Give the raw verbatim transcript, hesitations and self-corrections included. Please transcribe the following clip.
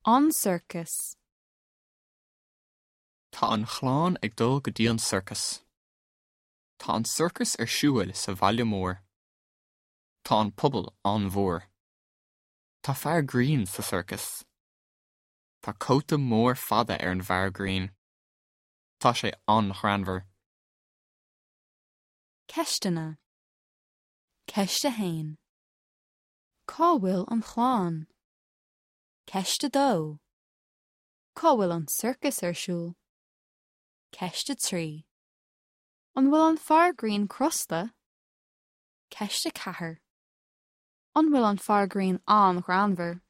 An sorcas. Tá an chlann ag dul go dtí an sorcas. Tá an sorcas ar siúl sa bhaile mór. Tá an puball an-mhór. Tá fear grinn sa sorcas. Tá cóta mór fada ar an bhfear grinn. Tá sé an-ghreannmhar. Ceisteanna. Ceist a haon. Cá bhfuil an chlann? Ceist a dó. Cá bhfuil an sorcas ar siúl? Ceist a trí. An bhfuil an fear grinn crosta? Ceist a ceathair. An bhfuil an fear grinn an-ghreannmhar?